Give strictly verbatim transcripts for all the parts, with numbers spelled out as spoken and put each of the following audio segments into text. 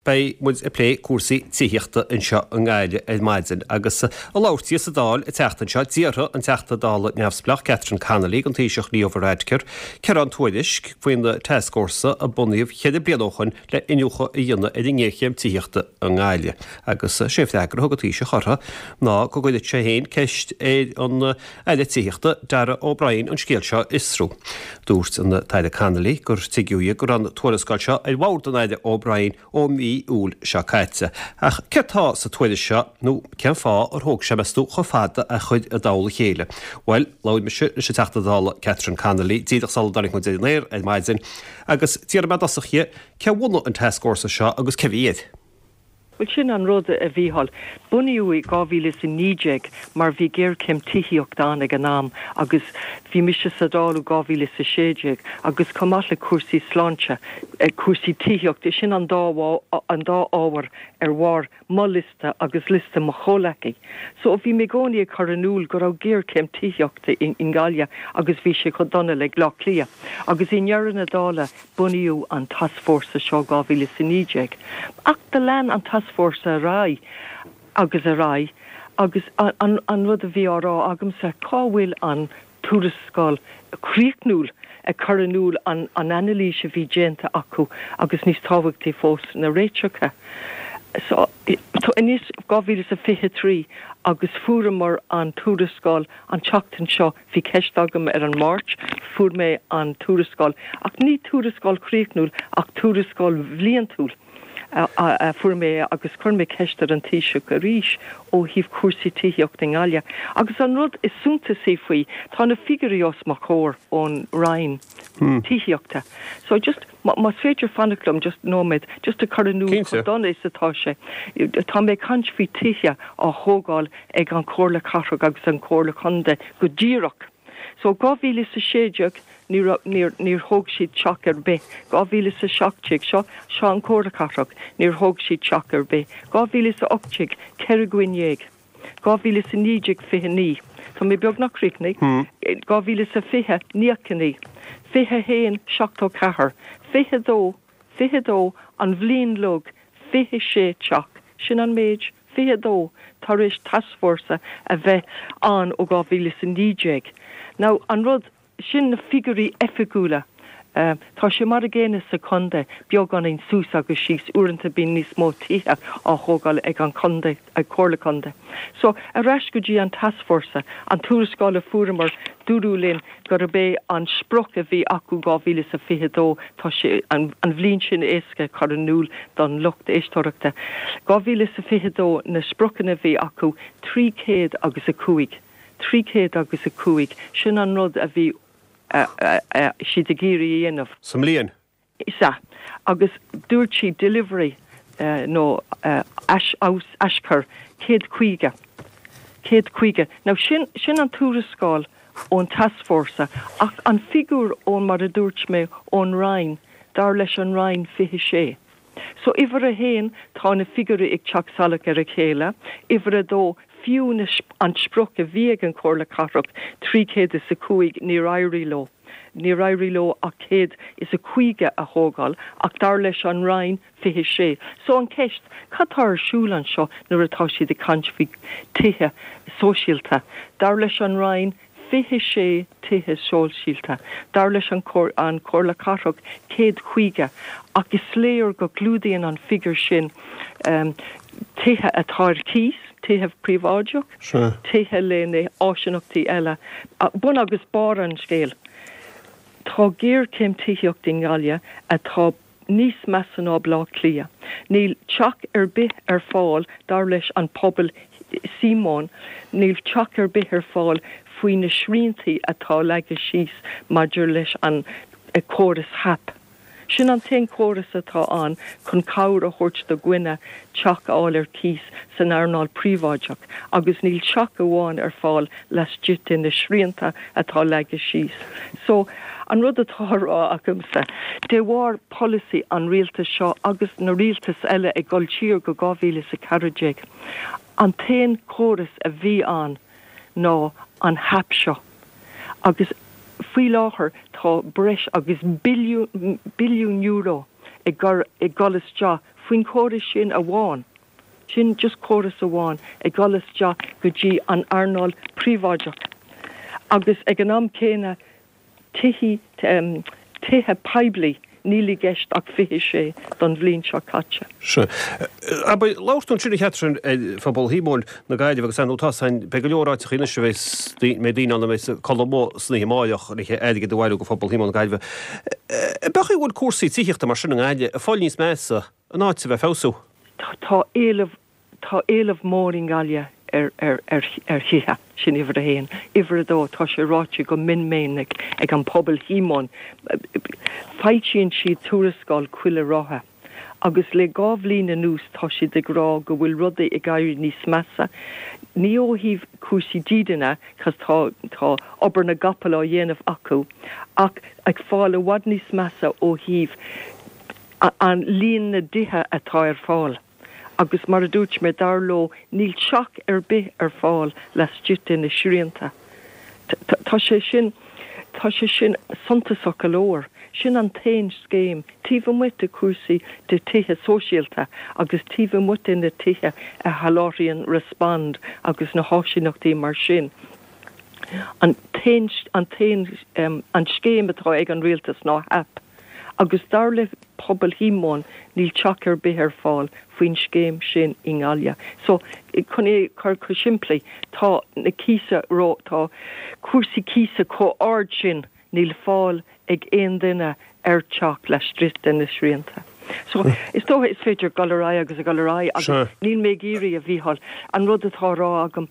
Beidh muid ag plé cúrsaí tithíochta anseo i nGaillimh ar maidin agus ag labhairt di sa Dáil an tseachtain seo d'iarr an Teachta Dála neamhspleách Catherine Connolly den Taoiseach Leo Varadkar cé an tuairisc faoin tascfhórsa a bunaíodh ceithre bliana ó shin le iniúchadh a dhéanamh ar an ngéarchéim tithíochta i nGaillimh agus sé freagra a thug an Taoiseach uirthi ná go gcuirfeadh sé féin ceist ar an Aire Tithíochta Darragh O'Brien an scéal seo a fhiosrú. Dúirt an tAire Connolly gur tuigeadh go raibh an tuarascáil seo ar bhord an Aire O'Brien ó mhí Iúil seo caite. Ach céard atá sa tuairisc seo nó cén fáth ar thóg sé meas tú chomh fada a chur i dtoll a chéile. Well, labhair mise leis an Teachta Dála Catherine Connolly díreach sula dtáinig muid ar an aer ar maidin, agus d'iarr mé i dtosach uirthi cé a bhunaigh an tascfhórsa seo agus cé bhí air. Well sin an rud a Mhícheáil. Bunaíodh i dhá mhíle is a naoi déag mar bhí géarchéim tithíochta ann ag an am agus bhí mise sa Dáil ó dhá mhíle is a sé déag agus chomh maith le cúrsaí sláinte, cúrsaí tithíochta, sin an dá an dá ábhar ar bharr mo liosta agus liosta mo chomhleacaí. So bhí mé i gcónaí ag cur in iúl go raibh géarchéim tithíochta i nGaillimh agus bhí sé chomh dona le Bleá Cliath. Agus i ndeireadh na dála bunaíodh an tascfhórsa seo dhá mhíle is a naoi déag. Ach do lean an tascfhórsa ar aghaidh agus ar aghaidh agus an, an rud a bhí á rá agamsa cá bhfuil an tuarascáil chríochnúil ag cur in iúl an, an anailís a bhí déanta acu agus níos tábhachtaí fós na réiteacha. So anois dhá mhíle is a fiche trí agus fuaireamar an tuarascáil an tseachtain seo bhí ceist agam ar an Máirt, fuair mé an tuarascáil ach ní tuarascáil chríochnúil ach tuarascáil bhliantúil. a fuair mé agus chuir mé ceist ar an Taoiseach arís ó thaobh cúrsaí tithíochta i nGaillimh. Agus an rud is suntasaí faoi tá na figiúirí os mo chomhair ón Roinn tithíochta. So just más féidir fanacht liom just nóiméad just a chur in iúl chomh dona is atá sé. Tá mé caint faoi tithe á thógáil ag an Chomhairle Cathrach agus an Chomhairle Contae go díreach. So dhá mhíle is a sé déag níor níor thóg siad teach ar bith. dhá mhíle is a seacht déag seo seo an Chomhairle Cathrach, níor thóg siad teach ar bith. dhá mhíle is a ocht déag ceithre dhuine dhéag. dhá mhíle is a naoi déag fiche naoi. Tá mé beagnach críochnaithe. dhá mhíle is a fiche naocha naoi. fiche haon seachtó ceathair. fiche dó fiche dó an bhliain uilig fiche sé teach. Sin an méid fiche dó tar éis tascfhórsa a bheith ann ó dhá mhíle is a naoi déag. Now an rud sin na figiúirí oifigiúla. Uh, tá sé mar an gcéanna sa chontae beagáinín suas agus síos uaireanta bíonn níos mó tithe á thógáil ag an chontae ag Comhairle Contae. So ar ais go dtí an tascfhórsa an tuarascáil a fuaireamar dúradh linn gurb é an sprioc a bhí acu dhá mhíle is a fiche dó tá sé an, an bhliain sin éasca chur in iúl don lucht éisteachta. dhá mhíle is a fiche dó na spriocanna a bhí acu trí chéad agus a cúig. Trí chéad agus a cúig sin an rud a bhí siad ag iarraidh a dhéanamh. Sa mbliain? Is ea agus dúirt siad delivery uh, nó uh, aischur céad caoga. Céad caoga. Now sin, sin an tuarascáil ón tascfhórsa ach an figiúr ón mar a dúirt mé ón Roinn dar leis an Roinn fiche sé. So uimhir a haon tá na figiúirí ag teacht salach ar a chéile, uimhir a dó fiú an sprioc a bhí ag an Chomhairle Cathrach trí chéad is a cúig níor éirigh leo. Níor éirigh leo ach céad is a caoga a thógáil ach dar leis an Roinn fiche sé. So an ceist cad tá ar siúl anseo nuair atá siad ag caint faoi tithe sóisialta. Dar leis an Roinn fiche sé tithe sóisialta. Dar leis an an Chomhairle Cathrach céad caoga ach is léir go gclúdaíonn an figiúr sin um, tithe atá ar cíos, tithe príobháideach, tithe le na áiseanna eile. Bun agus barr an scéil. Tá géarchéim tithíochta i nGaillimh atá níos measa ná Bleá Cliath. Níl teach ar bith ar fáil dar leis an pobal Simon, níl teach ar bith ar fáil faoi na sriantaí atá leagtha síos maidir leis an córas HAP. Sin an t-aon chóras atá ann chun cabhair a thabhairt do dhaoine teach a fháil ar cíos san earnáil príobháideach, agus níl teach amháin ar fáil laistigh de na srianta atá leagtha síos. So an rud atá á rá agamsa, de bharr polasaí an rialtais seo agus na rialtais eile ag dul siar go dhá mhíle is a ceathair déag. An t-aon chóras a bhí ann ná an HAP seo. Agus faoi láthair tá breis agus billiún euro ag gur ag dul isteach faoin chóras sin amháin. Sin just córas amháin ag dul isteach go dtí an earnáil príobháideach. Agus ag an am céanna tithe tithe poiblí níl i gceist ach fiche sé don bhliain seo caite. Sea. Abair, labhair tú ansin a Chatherine ar phobal Shíomóin na Gaillimhe agus ar ndóigh tá san, beidh go leor áiteachaí anois a bheas, mbeidh daoine ann a bheas ag codladh amuigh san oíche amáireach le airgead a bhailiú do phobal Shíomóin na Gaillimhe. An é go bhfuil cúrsaí tithíochta mar sin i nGaillimh ag fáil níos measa in áit a bheith ag feabhsú? Tá éileamh, tá éileamh mór i nGaillimh ar, ar, ar, ar thithe, sin uimhir a haon. Uimhir a dó, tá sé ráite go mion minic ag an pobal Shíomóin, foilsíonn siad tuarascáil chuile ráithe agus le dhá bhliain anuas tá siad ag rá go bhfuil rudaí ag éirí níos measa, ní ó thaobh cúrsaí dídine, cos tá, tá obair na gcapall á dhéanamh acu, ach ag fáil i bhfad níos measa ó thaobh an líon na dtithe atá ar fáil. Agus mar a dúirt mé, dar leo, níl teach ar bith ar fáil laistigh de na srianta. Tá sé sin, tá sé sin suntasach go leor. Sin an t-aon scéim, taobh amuigh de chúrsaí de tithe sóisialta agus taobh amuigh de na tithe a sholáthraíonn Respond agus na háisíneachtaí mar sin. An t-aon, an t-aon, an scéim atá ag an rialtas ná HAP. Agus dar le pobal Shíomóin níl teach ar bith ar fáil faoin scéim sin i nGaillimh. So, chun é a chur go simplí, tá na cíosa ró, tá cúrsaí cíosa chomh ard sin níl fáil ag aon duine ar teach laistigh de na srianta. So, is dócha is féidir dul ar aghaidh agus a dhul ar aghaidh agus níl mé ag iarraidh, a Mhícheáil, an rud atá á rá agam,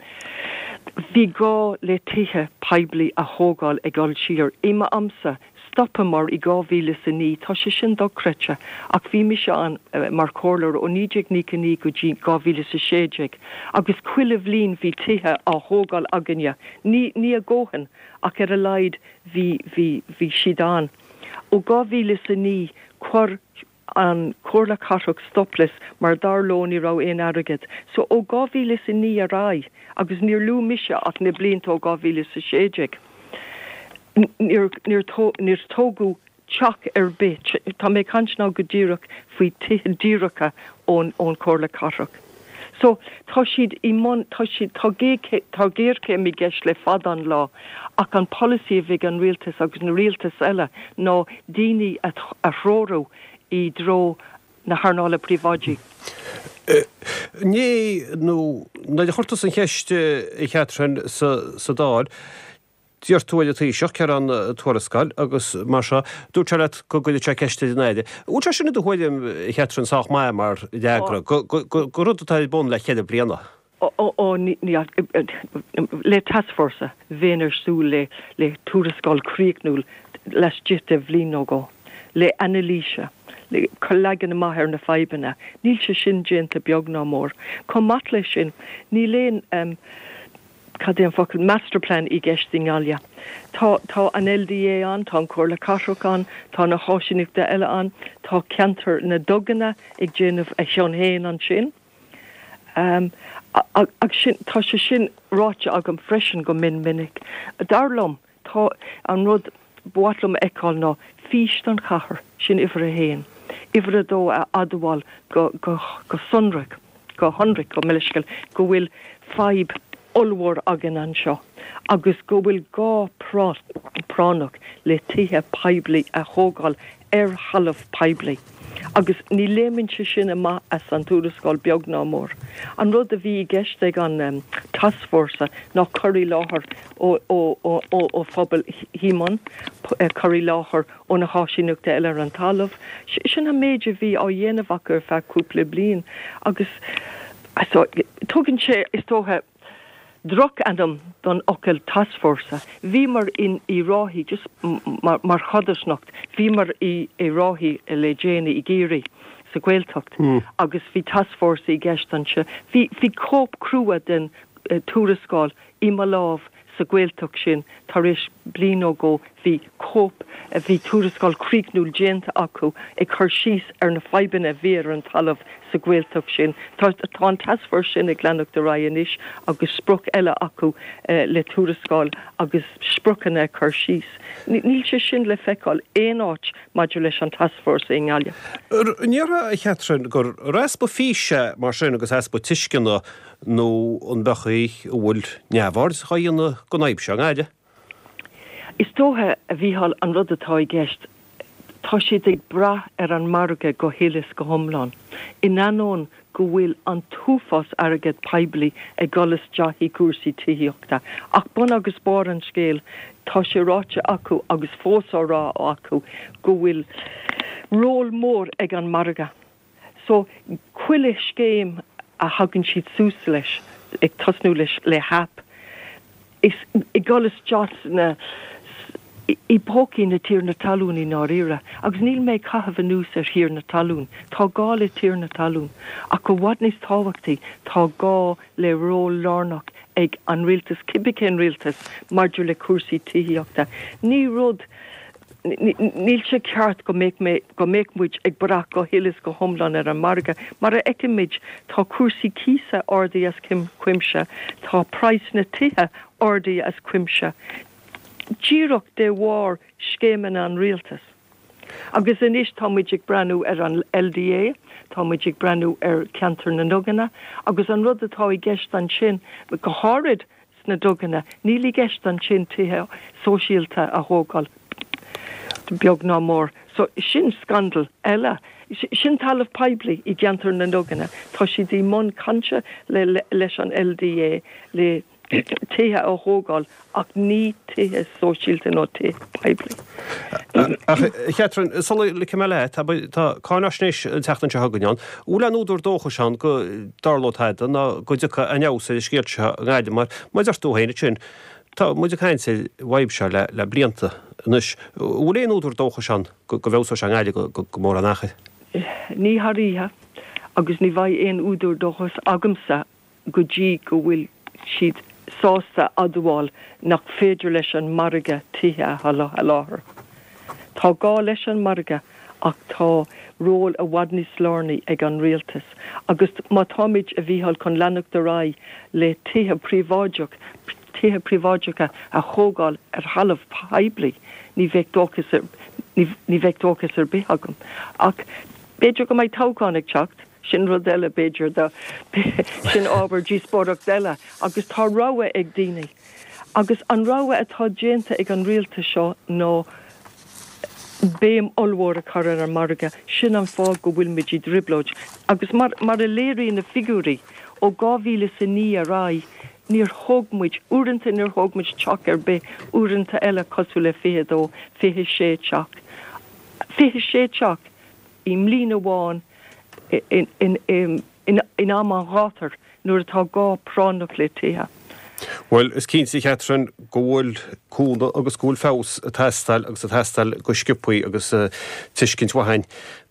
bhí gá le tithe poiblí a thógáil ag dul siar. I m'amsa, Stopamar i dhá mhíle is a naoi, tá sé sin dochreidte, ach bhí mise ann mar chomhairleoir ó naoi déag nócha a naoi go dtí dhá mhíle is a sé déag agus chuile bhliain bhí tithe á thógáil againne, ní, ní a dhóthain ach ar a laghad bhí, bhí, bhí siad ann. Ó dhá mhíle is a naoi chuir an Chomhairle Cathrach stop leis mar dar leo ní raibh aon airgead. So ó dhá mhíle is a naoi ar aghaidh, agus níor luaigh mise ach na blianta ó dhá mhíle is a sé déag, níor, níor, níor tógadh teach ar bith, tá mé ag caint now go díreach faoi tithe díreacha ón, ón Chomhairle Cathrach. So, tá siad i mbun, tá siad, tá tá géarchéim i gceist le fada an lá, ach an polasaí a bhí ag an rialtas agus na rialtais eile ná daoine a, a threorú i dtreo na hearnála príobháidí. Inné nó nuair a chuir tusa an cheist, a Chatherine, sa, sa Dáil, D'iarr tú ar an Taoiseach cén an tuarascáil agus mar seo, dúirt sé leat go gcuirfeadh sé ceist ar an Aire. An bhfuil sé sin i do thuairim, a Chatherine, sách maith mar fhreagra go rud atá ar bun le ceithre bliana? Ó, ó, ní, le tascfhórsa, bheinn ag súil le, le tuarascáil chríochnúil laistigh de bhliain nó dhó, le anailís, le cur leagan amach ar na fadhbanna. Níl sé sin déanta beag ná mór. Chomh maith leis sin, níl aon, cad é an focal, masterplan i gceist i nGaillimh. Tá, tá an LDA ann, tá an Comhairle Cathrach ann, tá na háisíneachtaí eile ann, tá ceantar na nDuganna ag déanamh a chion féin ansin. Agus sin, tá sé sin ráite agam freisin go mion minic. Dar liom, tá an rud ba mhaith liom a fheiceáil ná fís don chathair, sin uimhir a haon. Uimhir a dó a admháil go, go, go sonrach. go hionraic, gabh mo leithscéal, go bhfuil fadhb ollmhór againn anseo agus go bhfuil gá práinneach le tithe poiblí a thógáil ar thalamh poiblí. Agus ní léimeann sé sin amach as an tuarascáil beag ná mór. An rud a bhí i gceist ag an tascfhórsa ná cur i láthair ó phobal Shíomóin, cur i láthair ó na háisíneachtaí eile ar an talamh. Sin an méid a bhí á dhéanamh acu ar feadh cúpla bliain agus tugann sé, is dócha, drochainm don fhocal tascfhórsa. Bhíomar in i Ráithí, just mar chodarsnacht, bhíomar i i Ráithí le déanaí i gCiarraí, sa Ghaeltacht, agus bhí tascfhórsa i gceist anseo. Bhí bhí cóip crua den tuarascáil i mo lámh sa Ghaeltacht sin tar éis bliain nó dhó bhí cóip, bhí tuarascáil críochnúil déanta acu ag cur síos ar na fadhbanna a bhí ar an talamh sa Ghaeltacht sin. Tá tá an tascfhórsa sin ag leanacht ar aghaidh anois agus sprioc eile acu le tuarascáil agus spriocanna a chur síos. Níl sé sin le feiceáil aon áit maidir leis an tascfhórsa i nGaillimh. An ndéarfá, a Chatherine, gur easpa físe mar sin agus easpa tuisceana nó an bechaí a bhfuil neamhaird á dhéanamh den fhadhb seo i nGaillimh? Is dócha, a Mhícheáil, an rud atá i gceist, tá siad ag brath ar an margadh go huile is go hiomlán, in ainneoin go bhfuil an t-uafás airgead poiblí ag dul isteach i gcúrsaí tithíochta. Ach bun agus barr an scéil, tá sé ráite acu agus fós á rá acu go bhfuil ról mór ag an margadh. So, chuile scéim a thagann siad suas leis, ag tosnú leis le HAP, is ag dul isteach sna i bpócaí na tiarnaí talún i ndáiríre. Agus níl mé ag caitheamh anuas ar thiarnaí talún. Tá gá le tiarnaí talún. Ach i bhfad níos tábhachtaí, tá gá le ról lárnach ag an rialtas, cibé cén rialtas, maidir le cúrsaí tithíochta. Ní rud, níl sé ceart go mbeadh mé, go mbeadh muid ag brath go huile is go hiomlán ar an margadh. Mar a fheicimid, tá cúrsaí cíosa ardaithe as cuimse, tá praghas na tithe ardaithe as cuimse, díreach de bharr scéimeanna an rialtais. Agus anois tá muid ag breathnú ar an LDA, tá muid ag breathnú ar cheantar na nDuganna, agus an rud atá i gceist ansin, go háirid sna Duganna, níl i gceist ansin tithe sóisialta a thógáil, beag ná mór. So, sin scandal eile. Sin talamh poiblí i gceantar na nDuganna. Tá siad i mbun cainte le leis an LDA le tithe a thógáil ach ní tithe sóisialta nó tithe poiblí. Ach, a Chatherine, sula ligfidh mé leat, tá cáinaisnéis an tseachtain seo chugainn ann. An bhfuil aon údar dóchais ann go dtarlóidh tada ná go dtiocfaidh aon fheabhas ar an scéal seo i nGaillimh mar, mar a deir tú féin ansin, tá muid ag caint ar an bhfadhb seo le le blianta anois. An bhfuil aon údar dóchais ann go bhfeabhsóidh sé i nGaillimh go mórán achair? Ní thar oíche agus ní bheidh aon údar dóchais agamsa go dtí go bhfuil siad sásta admháil nach féidir leis an margadh tithe a sholáthar. Tá gá leis an margadh ach tá ról i bhfad níos lárnaí ag an rialtas agus má táimid, a Mhícheáil, chun leanacht ar aghaidh le tithe príobháideach, tithe príobháideacha a thógáil ar thalamh poiblí, ní bheidh dóchas ar, ní bheidh dóchas ar bith agam. Ach b'fhéidir go mbeidh toghchán ag teacht. Sin rud eile, b'fhéidir, do, sin ábhar díospóireacht eile. Agus tá rogha ag daoine. Agus an rogha atá déanta ag an rialtas seo ná béim ollmhór a chur ar an margadh. Sin an fáth go bhfuilimid i dtrioblóid. Agus mar, mar a léiríonn na figiúirí, ó dhá mhíle is a naoi ar aghaidh, níor thóg muid, uaireanta níor thóg muid teach ar bith, uaireanta eile cosúil le fiche a dó, fiche sé teach. Fiche sé teach i mbliain amháin in am an ghátair nuair atá gá práinneach le tithe. Bhuel, is cinnte, a Chatherine, go bhfuil cúnamh agus go bhfuil feabhas ag teastáil agus ag teastáil go sciobthaí agus tuiscint mhaith againn,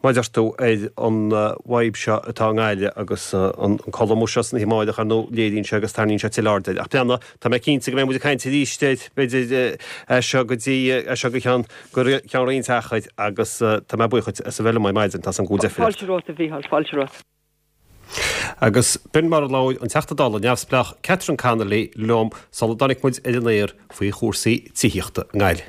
mar a deir tú, ar an bhfadhb seo atá i nGaillimh agus an colm seo san oíche amárach, ar ndóigh, léiríonn sé agus tarraingíonn sé tuilleadh aird air. Ach breathnaigh, tá mé cinnte go mbeidh muid ag caint arís air, b'fhéidir, as seo go dtí, as seo go ceann, go ceann roinnt achair agus tá mé buíoch dhuit as a bheith liom ar maidin, tá san go bhfuil deifir ort. Fáilte romhat, a Mhícheáil, fáilte romhat. Agus b'in mar a labhair an Teachta Dála neamhspleách Catherine Connolly liom sula dtáinig muid ar an aer faoi chúrsaí tithíochta i nGaillimh.